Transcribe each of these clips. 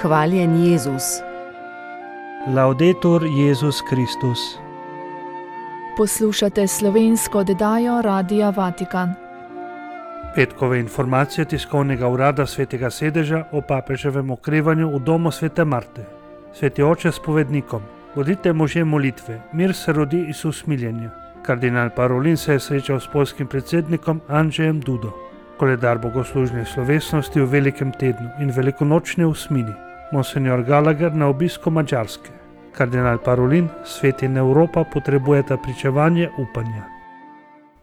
Hvaljen Jezus. Laudetur Jezus Kristus. Poslušate slovensko oddajo Radia Vatikan. Petkove informacije tiskovnega urada Svetega sedeža o papeževem okrevanju v domu Svete Marte. Sveti oče spovednikom: bodite možje molitve, mir se rodi iz usmiljenja. Kardinal Parolin se je srečal s poljskim predsednikom Andžejem Dudo. Koledar bogoslužnih slovesnosti v velikem tednu in velikonočne usmini. Monsignor Gallagher na obisku Madžarske. Kardinal Parolin: svet in Evropa potrebujeta pričevanje upanja.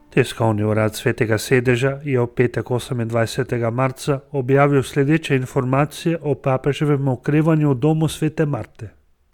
Tiskovni urad Svetega sedeža je v petek 28. marca objavil sledeče informacije o papeževem okrevanju v domu Svete Marte.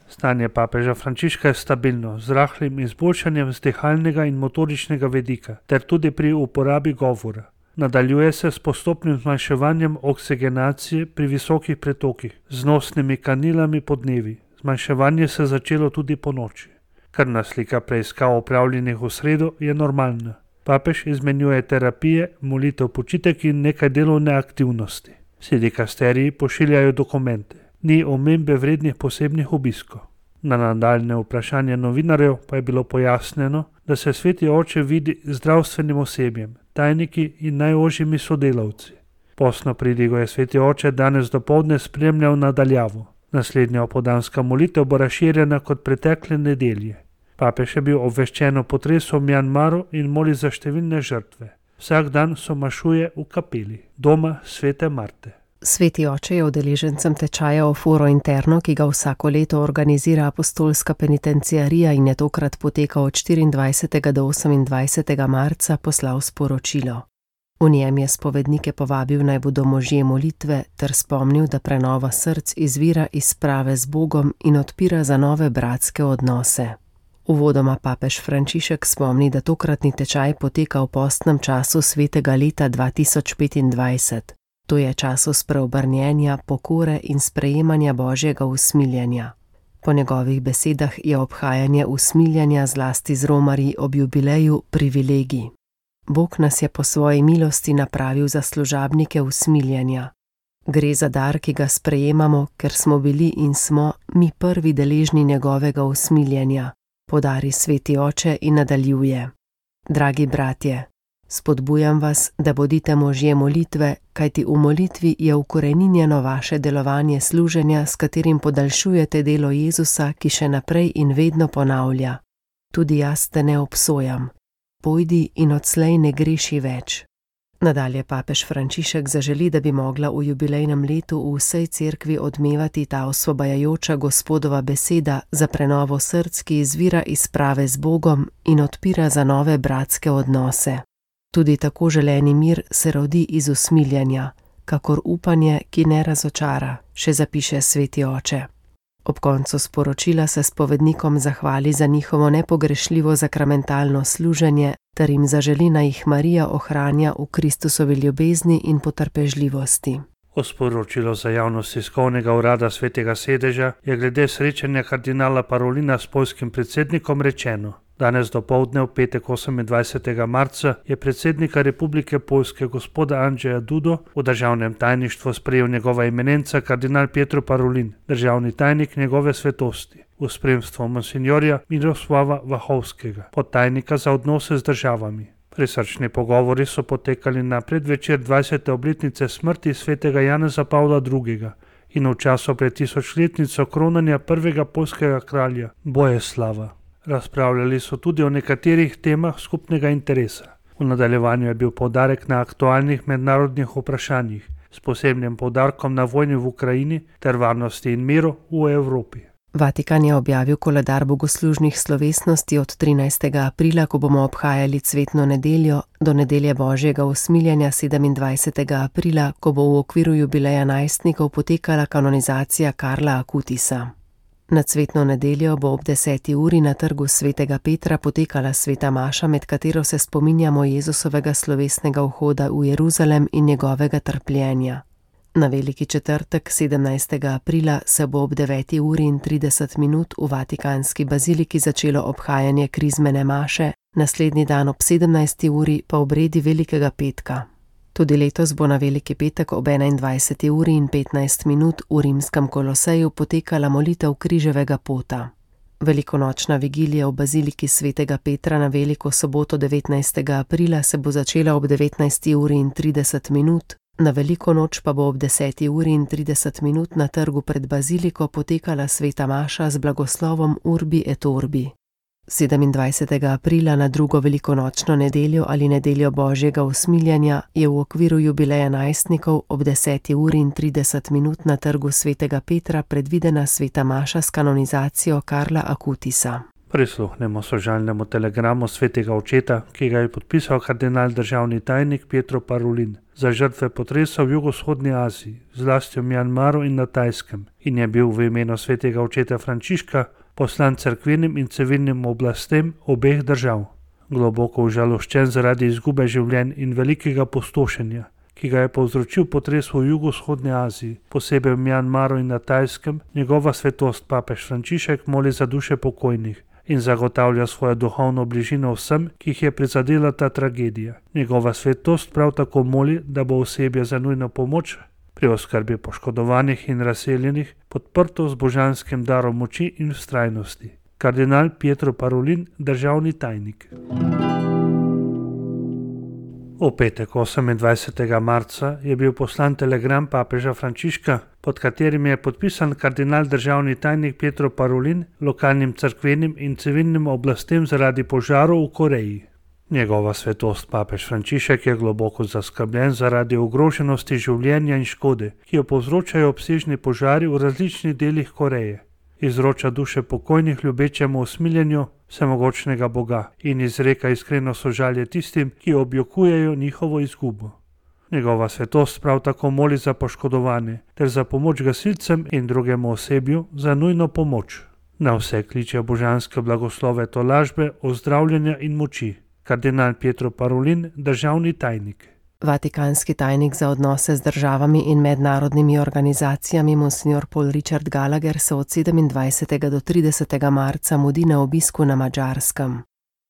Stanje papeža Frančiška je stabilno, z rahlim izboljšanjem z dihalnega in motoričnega vidika, ter tudi pri uporabi govora. Nadaljuje se s postopnim zmanjševanjem oksigenacije pri visokih pretokih, z nosnimi kanilami po dnevi. Zmanjševanje se je začelo tudi po noči. Krvna slika preiskav opravljenih v sredo je normalna. Papež izmenjuje terapije, molitev, počitek in nekaj delovne aktivnosti. Vsi dikasteriji pošiljajo dokumente. Ni omembe vrednih posebnih obiskov. Na nadaljne vprašanje novinarjev pa je bilo pojasnjeno, da se sveti oče vidi z zdravstvenim osebjem, tajniki in najožjimi sodelavci. Postno pridigo je sveti oče danes dopoldne spremljal nadaljavo. Naslednja opoldanska molitev bo razširjena kot pretekle nedelje. Papež je bil obveščen o potresu v Mjanmaru in moli za številne žrtve. Vsak dan somašuje v kapeli doma Svete Marte. Sveti oče je udeležencem tečaja o Foro Interno, ki ga vsako leto organizira apostolska penitenciarija in je tokrat potekal od 24. do 28. marca, poslal sporočilo. V njem je spovednike povabil, naj bodo možje molitve, ter spomnil, da prenova src izvira iz sprave z Bogom in odpira za nove bratske odnose. Uvodoma papež Frančišek spomni, da tokratni tečaj poteka v postnem času svetega leta 2025. To je času spreobrnjenja, pokore in sprejemanja Božjega usmiljenja. Po njegovih besedah je obhajanje usmiljenja zlasti z romarji ob jubileju privilegij. Bog nas je po svoji milosti napravil za služabnike usmiljenja. Gre za dar, ki ga sprejemamo, ker smo bili in smo mi prvi deležni njegovega usmiljenja, podari sveti oče in nadaljuje. Dragi bratje, spodbujam vas, da bodite možje molitve, kajti v molitvi je ukoreninjeno vaše delovanje služenja, s katerim podaljšujete delo Jezusa, ki še naprej in vedno ponavlja: tudi jaz te ne obsojam. Pojdi in odslej ne greši več. Nadalje papež Frančišek zaželi, da bi mogla v jubilejnem letu v vsej cerkvi odmevati ta osvobajajoča Gospodova beseda za prenovo src, ki izvira iz sprave z Bogom in odpira za nove bratske odnose. Tudi tako želeni mir se rodi iz usmiljenja, kakor upanje, ki ne razočara, še zapiše sveti oče. Ob koncu sporočila se spovednikom zahvali za njihovo nepogrešljivo zakramentalno služenje ter jim zaželi, naj jih Marija ohranja v Kristusovi ljubezni in potrpežljivosti. O sporočilo za javnost tiskovnega urada Svetega sedeža je glede srečanja kardinala Parolina s poljskim predsednikom rečeno. Danes dopoldne v petek 28. marca je predsednika Republike Poljske gospoda Andžeja Dudo v državnem tajništvu sprejel njegova eminenca kardinal Pietro Parolin, državni tajnik njegove svetosti, v spremstvu monsignorja Miroslava Vahovskega, podtajnika za odnose z državami. Prisrčni pogovori so potekali na predvečer 20. obletnice smrti svetega Janeza Pavla II. In v času pred tisočletnico kronanja prvega poljskega kralja Boleslava. Razpravljali so tudi o nekaterih temah skupnega interesa. V nadaljevanju je bil poudarek na aktualnih mednarodnih vprašanjih, s posebnim poudarkom na vojni v Ukrajini ter varnosti in miru v Evropi. Vatikan je objavil koledar bogoslužnih slovesnosti od 13. aprila, ko bomo obhajali cvetno nedeljo, do nedelje Božjega usmiljenja 27. aprila, ko bo v okviru jubileja najstnikov potekala kanonizacija Karla Akutisa. Na cvetno nedeljo bo ob 10. uri na trgu svetega Petra potekala sveta maša, med katero se spominjamo Jezusovega slovesnega vhoda v Jeruzalem in njegovega trpljenja. Na veliki četrtek 17. aprila se bo ob 9. uri in 30 minut v Vatikanski baziliki začelo obhajanje krizmene maše, naslednji dan ob 17. uri pa obredi velikega petka. Tudi letos bo na Veliki petek ob 21:15 v rimskem Koloseju potekala molitev križevega pota. Velikonočna vigilija v baziliki svetega Petra na veliko soboto 19. aprila se bo začela ob 19:30, na veliko noč pa bo ob 10:30 na trgu pred baziliko potekala sveta maša z blagoslovom Urbi et Orbi. 27. aprila na drugo velikonočno nedeljo ali nedeljo Božjega usmiljenja je v okviru jubileja najstnikov ob 10:30 na trgu svetega Petra predvidena sveta maša s kanonizacijo Karla Akutisa. Prisluhnemo sožalnemu telegramu svetega očeta, ki ga je podpisal kardinal državni tajnik Pietro Parolin za žrtve potresa v jugovzhodni Aziji, zlasti v Mjanmaru in na Tajskem, in je bil v imenu svetega očeta Frančiška poslan cerkvenim in civilnim oblastem obeh držav. Globoko užaloščen zaradi izgube življenj in velikega pustošenja, ki ga je povzročil potres v jugovzhodni Aziji, posebej v Mjanmaru in na Tajskem, njegova svetost papež Frančišek moli za duše pokojnih in zagotavlja svojo duhovno bližino vsem, ki jih je prizadela ta tragedija. Njegova svetost prav tako moli, da bo osebje za nujno pomoč pri oskrbi poškodovanih in razseljenih podprto z božanskim darom moči in vztrajnosti. Kardinal Pietro Parolin, državni tajnik. V petek 28. marca je bil poslan telegram papeža Frančiška, pod katerim je podpisan kardinal državni tajnik Pietro Parolin lokalnim cerkvenim in civilnim oblastem zaradi požarov v Koreji. Njegova svetost papež Frančišek je globoko zaskrbljen zaradi ogroženosti življenja in škode, ki jo povzročajo obsežni požari v različnih delih Koreje. Izroča duše pokojnih ljubečemu usmiljenju vsemogočnega Boga in izreka iskreno sožalje tistim, ki objokujejo njihovo izgubo. Njegova svetost prav tako moli za poškodovane ter za pomoč gasilcem in drugemu osebju za nujno pomoč. Na vse kliče božanske blagoslove tolažbe, ozdravljenja in moči. Kardinal Pietro Parolin, državni tajnik. Vatikanski tajnik za odnose z državami in mednarodnimi organizacijami Monsignor Paul Richard Gallagher se od 27. do 30. marca mudi na obisku na Madžarskem.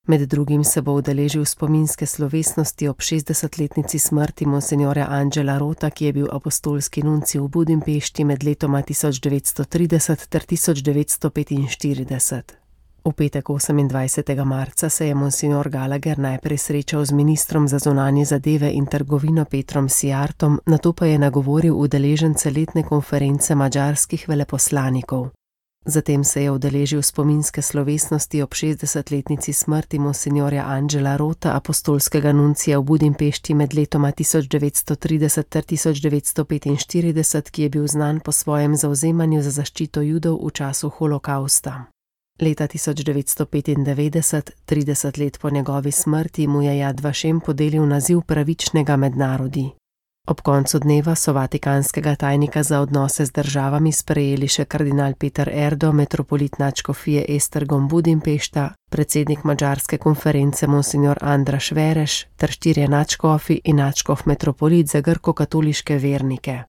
Med drugim se bo udeležil spominske slovesnosti ob 60-letnici smrti monsignorja Angela Rota, ki je bil apostolski nuncij v Budimpešti med letoma 1930 ter 1945. V petek 28. marca se je monsignor Gallagher najprej srečal z ministrom za zunanje zadeve in trgovino Petrom Sijartom, nato pa je nagovoril udeležence letne konference madžarskih veleposlanikov. Zatem se je udeležil spominske slovesnosti ob 60-letnici smrti monsignorja Angela Rota, apostolskega nuncija v Budimpešti med letoma 1930 ter 1945, ki je bil znan po svojem zavzemanju za zaščito Judov v času holokausta. Leta 1995, 30 let po njegovi smrti, mu je Yad Vashem podelil naziv pravičnega med narodi. Ob koncu dneva so vatikanskega tajnika za odnose z državami sprejeli še kardinal Peter Erdo, metropolit nadškofije Esztergom Budimpešta, predsednik madžarske konference monsignor Andras Vereš ter 4 nadškofi in nadškof metropolit za grko-katoliške vernike.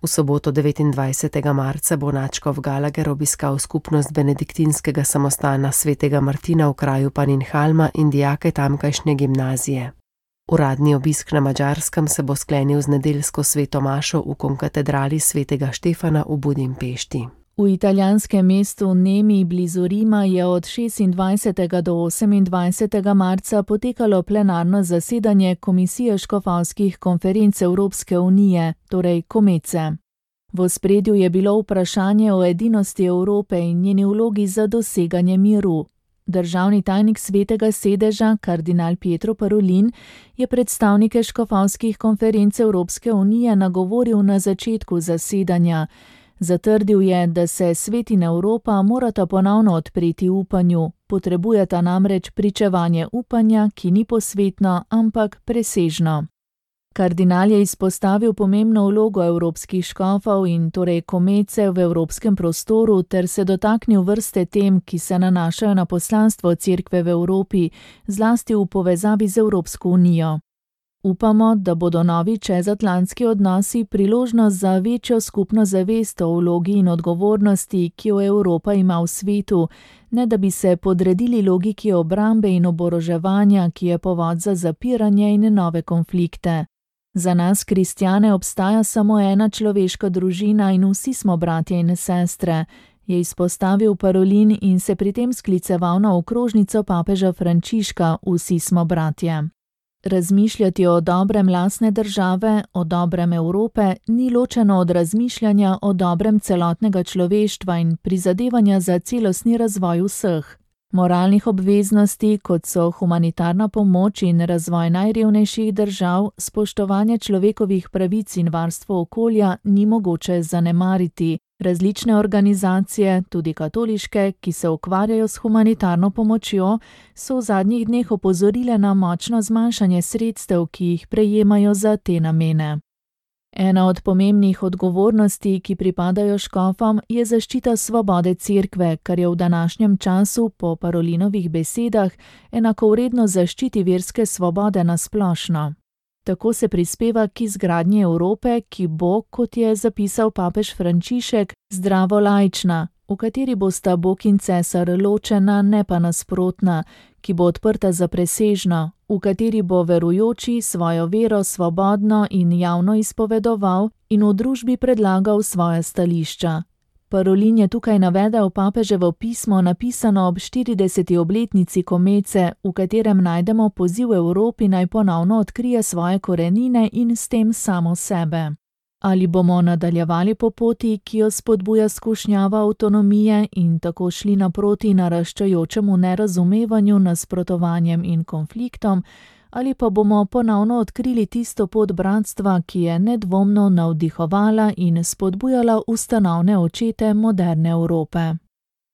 V soboto 29. marca bo nadškof Gallagher obiskal skupnost benediktinskega samostana svetega Martina v kraju Paninhalma in dijake tamkajšnje gimnazije. Uradni obisk na Madžarskem se bo sklenil z nedeljsko sveto mašo v konkatedrali svetega Štefana v Budimpešti. V italijanskem mestu Nemi blizu Rima je od 26. do 28. marca potekalo plenarno zasedanje Komisije škofovskih konferenc Evropske unije, torej Komece. V ospredju je bilo vprašanje o edinosti Evrope in njeni vlogi za doseganje miru. Državni tajnik svetega sedeža, kardinal Pietro Parolin, je predstavnike škofovskih konferenc Evropske unije nagovoril na začetku zasedanja. Zatrdil je, da se svet in Evropa morata ponovno odpreti upanju, potrebujeta namreč pričevanje upanja, ki ni posvetno, ampak presežno. Kardinal je izpostavil pomembno vlogo evropskih škofov in torej komece v evropskem prostoru ter se dotaknil vrste tem, ki se nanašajo na poslanstvo cerkve v Evropi, zlasti v povezavi z Evropsko unijo. Upamo, da bodo novi čezatlantski odnosi priložnost za večjo skupno zavest o vlogi in odgovornosti, ki jo Evropa ima v svetu, ne da bi se podredili logiki obrambe in oboroževanja, ki je povod za zapiranje in nove konflikte. Za nas, kristjane, obstaja samo ena človeška družina in vsi smo bratje in sestre, je izpostavil Parolin in se pri tem skliceval na okrožnico papeža Frančiška Vsi smo bratje. Razmišljati o dobrem lastne države, o dobrem Evrope, ni ločeno od razmišljanja o dobrem celotnega človeštva in prizadevanja za celostni razvoj vseh. Moralnih obveznosti, kot so humanitarna pomoč in razvoj najrevnejših držav, spoštovanje človekovih pravic in varstvo okolja ni mogoče zanemariti. Različne organizacije, tudi katoliške, ki se ukvarjajo s humanitarno pomočjo, so v zadnjih dneh opozorile na močno zmanjšanje sredstev, ki jih prejemajo za te namene. Ena od pomembnih odgovornosti, ki pripadajo škofom, je zaščita svobode cerkve, kar je v današnjem času, po Parolinovih besedah, enakovredno zaščiti verske svobode na splošno. Tako se prispeva k izgradnji Evrope, ki bo, kot je zapisal papež Frančišek, zdravo laična, v kateri bosta Bog in cesar ločena, ne pa nasprotna, ki bo odprta za presežno, v kateri bo verujoči svojo vero svobodno in javno izpovedoval in v družbi predlagal svoja stališča. Parolin je tukaj navedel papeževo pismo, napisano ob 40. obletnici komece, v katerem najdemo poziv Evropi naj ponovno odkrije svoje korenine in s tem samo sebe. Ali bomo nadaljevali po poti, ki jo spodbuja skušnjava avtonomije in tako šli naproti naraščajočemu nerazumevanju, nasprotovanjem in konfliktom, ali pa bomo ponovno odkrili tisto pot bratstva, ki je nedvomno navdihovala in spodbujala ustanovne očete moderne Evrope.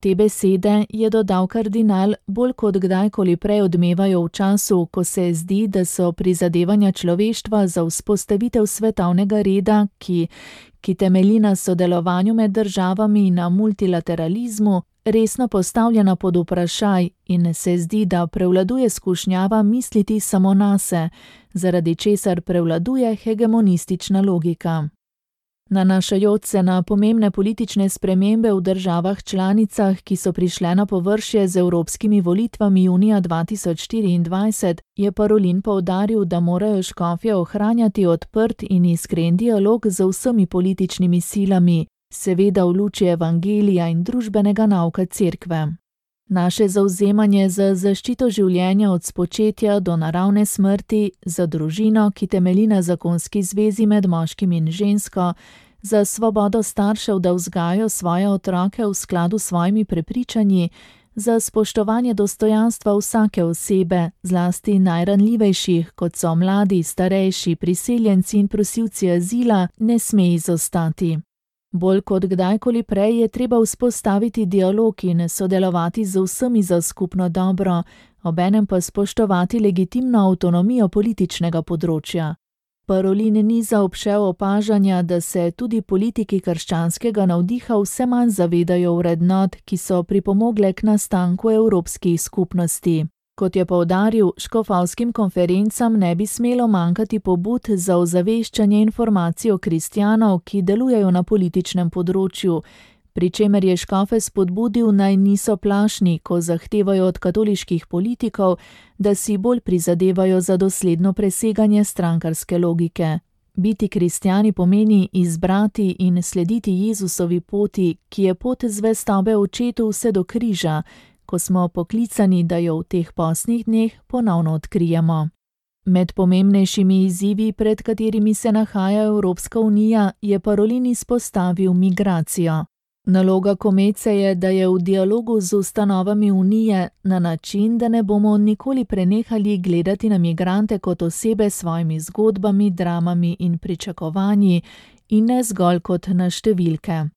Te besede, je dodal kardinal, bolj kot kdajkoli prej odmevajo v času, ko se zdi, da so prizadevanja človeštva za vzpostavitev svetovnega reda, ki temelji na sodelovanju med državami in na multilateralizmu, resno postavljena pod vprašaj in se zdi, da prevladuje skušnjava misliti samo nase, zaradi česar prevladuje hegemonistična logika. Nanašajoč se na pomembne politične spremembe v državah članicah, ki so prišle na površje z evropskimi volitvami junija 2024, je Parolin poudaril, da morajo škofje ohranjati odprt in iskren dialog z vsemi političnimi silami, seveda v luči evangelija in družbenega nauka cerkve. Naše zavzemanje za zaščito življenja od spočetja do naravne smrti, za družino, ki temelji na zakonski zvezi med moškim in žensko, za svobodo staršev, da vzgajajo svoje otroke v skladu s svojimi prepričanji, za spoštovanje dostojanstva vsake osebe, zlasti najranljivejših, kot so mladi, starejši, priseljenci in prosilci azila, ne sme izostati. Bolj kot kdajkoli prej je treba vzpostaviti dialog in sodelovati z vsemi za skupno dobro, obenem pa spoštovati legitimno avtonomijo političnega področja. Parolin ni zaobšel opažanja, da se tudi politiki krščanskega navdiha vse manj zavedajo vrednot, ki so pripomogle k nastanku evropskih skupnosti. Kot je poudaril, škofovskim konferencam ne bi smelo manjkati pobud za ozaveščanje informacij o kristjanov, ki delujejo na političnem področju, pri čemer je škofe spodbudil, naj niso plašni, ko zahtevajo od katoliških politikov, da si bolj prizadevajo za dosledno preseganje strankarske logike. Biti kristjani pomeni izbrati in slediti Jezusovi poti, ki je pot zvestobe očetu vse do križa, ko smo poklicani, da jo v teh postnih dneh ponovno odkrijemo. Med pomembnejšimi izzivi, pred katerimi se nahaja Evropska unija, je Parolin izpostavil migracijo. Naloga komece je, da je v dialogu z ustanovami unije na način, da ne bomo nikoli prenehali gledati na migrante kot osebe s svojimi zgodbami, dramami in pričakovanji in ne zgolj kot na številke.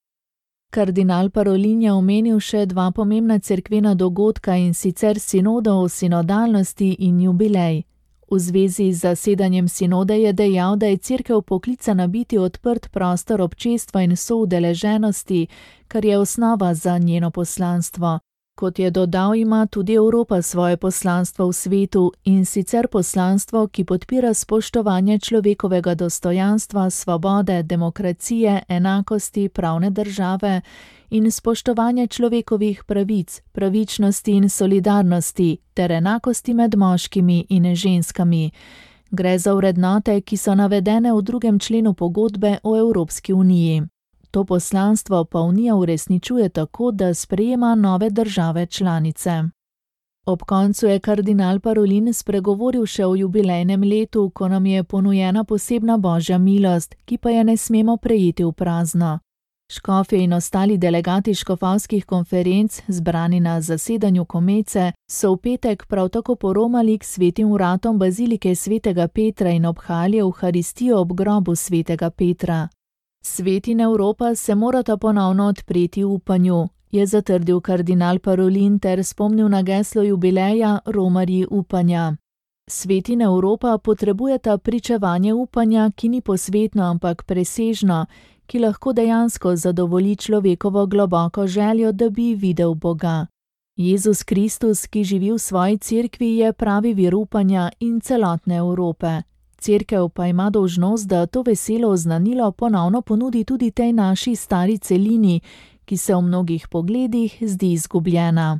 Kardinal Parolin je omenil še dva pomembna cerkvena dogodka, in sicer sinodo o sinodalnosti in jubilej. V zvezi z zasedanjem sinode je dejal, da je cerkev poklicana biti odprt prostor občestva in soudeleženosti, kar je osnova za njeno poslanstvo. Kot je dodal, ima tudi Evropa svoje poslanstvo v svetu, in sicer poslanstvo, ki podpira spoštovanje človekovega dostojanstva, svobode, demokracije, enakosti, pravne države in spoštovanje človekovih pravic, pravičnosti in solidarnosti ter enakosti med moškimi in ženskami. Gre za vrednote, ki so navedene v 2. členu pogodbe o Evropski uniji. To poslanstvo pa Unija uresničuje tako, da sprejema nove države članice. Ob koncu je kardinal Parolin spregovoril še o jubilejnem letu, ko nam je ponujena posebna božja milost, ki pa je ne smemo prejeti v prazno. Škofje in ostali delegati škofovskih konferenc, zbrani na zasedanju Komece, so v petek prav tako poromali k svetim vratom bazilike svetega Petra in obhajali evharistijo ob grobu svetega Petra. Svet in Evropa se morata ponovno odpreti upanju, je zatrdil kardinal Parolin ter spomnil na geslo jubileja Romarji upanja. Svet in Evropa potrebujeta pričevanje upanja, ki ni posvetno, ampak presežno, ki lahko dejansko zadovolji človekovo globoko željo, da bi videl Boga. Jezus Kristus, ki živi v svoji cerkvi, je pravi vir upanja in celotne Evrope. Cerkev pa ima dolžnost, da to veselo oznanilo ponovno ponudi tudi tej naši stari celini, ki se v mnogih pogledih zdi izgubljena.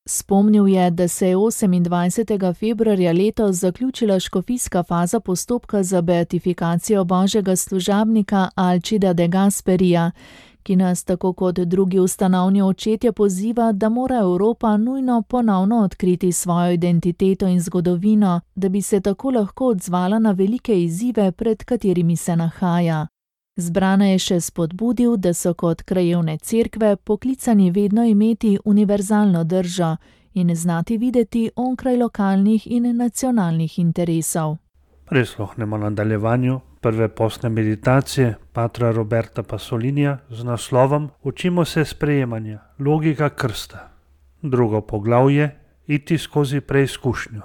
Spomnil je, da se je 28. februarja letos zaključila škofijska faza postopka za beatifikacijo božjega služabnika Alcida de Gasperija, ki nas tako kot drugi ustanovni očetje poziva, da mora Evropa nujno ponovno odkriti svojo identiteto in zgodovino, da bi se tako lahko odzvala na velike izzive, pred katerimi se nahaja. Zbrana je še spodbudil, da so kot krajevne cerkve poklicani vedno imeti univerzalno držo in znati videti onkraj lokalnih in nacionalnih interesov. Prisluhnemo nadaljevanju prve postne meditacije patra Roberta Pasolinija z naslovom Učimo se sprejemanja, logika krsta. Drugo poglavje, iti skozi preizkušnjo.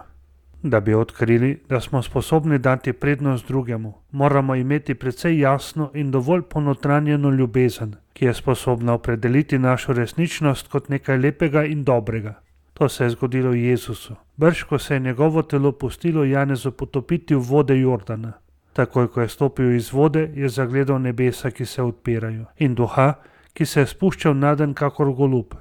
Da bi odkrili, da smo sposobni dati prednost drugemu, moramo imeti precej jasno in dovolj ponotranjeno ljubezen, ki je sposobna opredeliti našo resničnost kot nekaj lepega in dobrega. To se je zgodilo Jezusu, brž ko se je njegovo telo pustilo Janezu potopiti v vode Jordana. Takoj, ko je stopil iz vode, je zagledal nebesa, ki se odpirajo, in duha, ki se je spuščal naden kakor golub.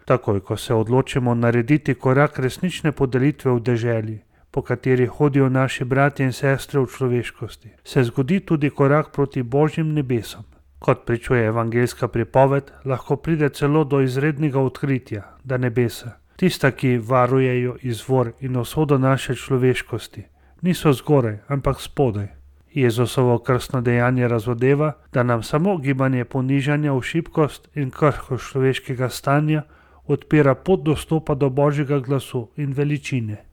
Takoj, ko se odločimo narediti korak resnične podelitve v deželi, po kateri hodijo naši bratje in sestre v človeškosti, se zgodi tudi korak proti Božjim nebesom. Kot pričuje evangeljska pripoved, lahko pride celo do izrednega odkritja, da nebesa, tista, ki varujejo izvor in usodo naše človeškosti, niso zgoraj, ampak spodaj. Jezusovo krstno dejanje razodeva, da nam samo gibanje ponižanja v šibkost in krhkost človeškega stanja odpira pot dostopa do Božjega glasu in veličine.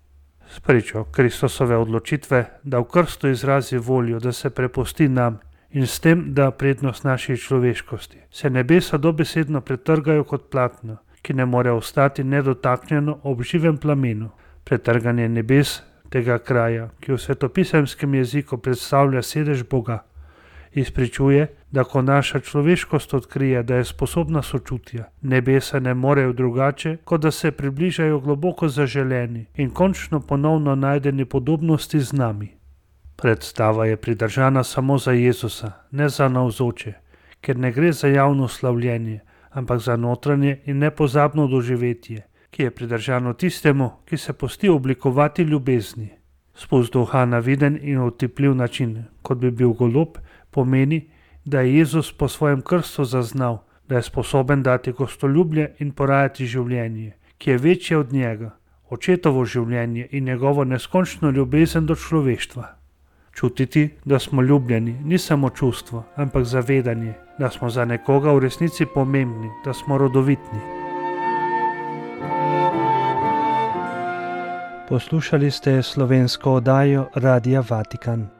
Spričo Kristusove odločitve, da v krstu izrazi voljo, da se prepusti nam in s tem da prednost naši človeškosti, se nebesa dobesedno pretrgajo kot platno, ki ne more ostati nedotaknjeno ob živem plamenu. Pretrganje nebes tega kraja, ki v svetopisemskem jeziku predstavlja sedež Boga, izpričuje, da ko naša človeškost odkrije, da je sposobna sočutja, nebesa ne morejo drugače, kot da se približajo globoko zaželeni in končno ponovno najdeni podobnosti z nami. Predstava je pridržana samo za Jezusa, ne za navzoče, ker ne gre za javno slavljenje, ampak za notranje in nepozabno doživetje, ki je pridržano tistemu, ki se pusti oblikovati ljubezni. Spust duha na viden in otipljiv način, kot bi bil golob, pomeni, da je Jezus po svojem krstu zaznal, da je sposoben dati gostoljubje in porajati življenje, ki je večje od njega, očetovo življenje in njegovo neskončno ljubezen do človeštva. Čutiti, da smo ljubljeni, ni samo čustvo, ampak zavedanje, da smo za nekoga v resnici pomembni, da smo rodovitni. Poslušali ste slovensko oddajo Radia Vatikan.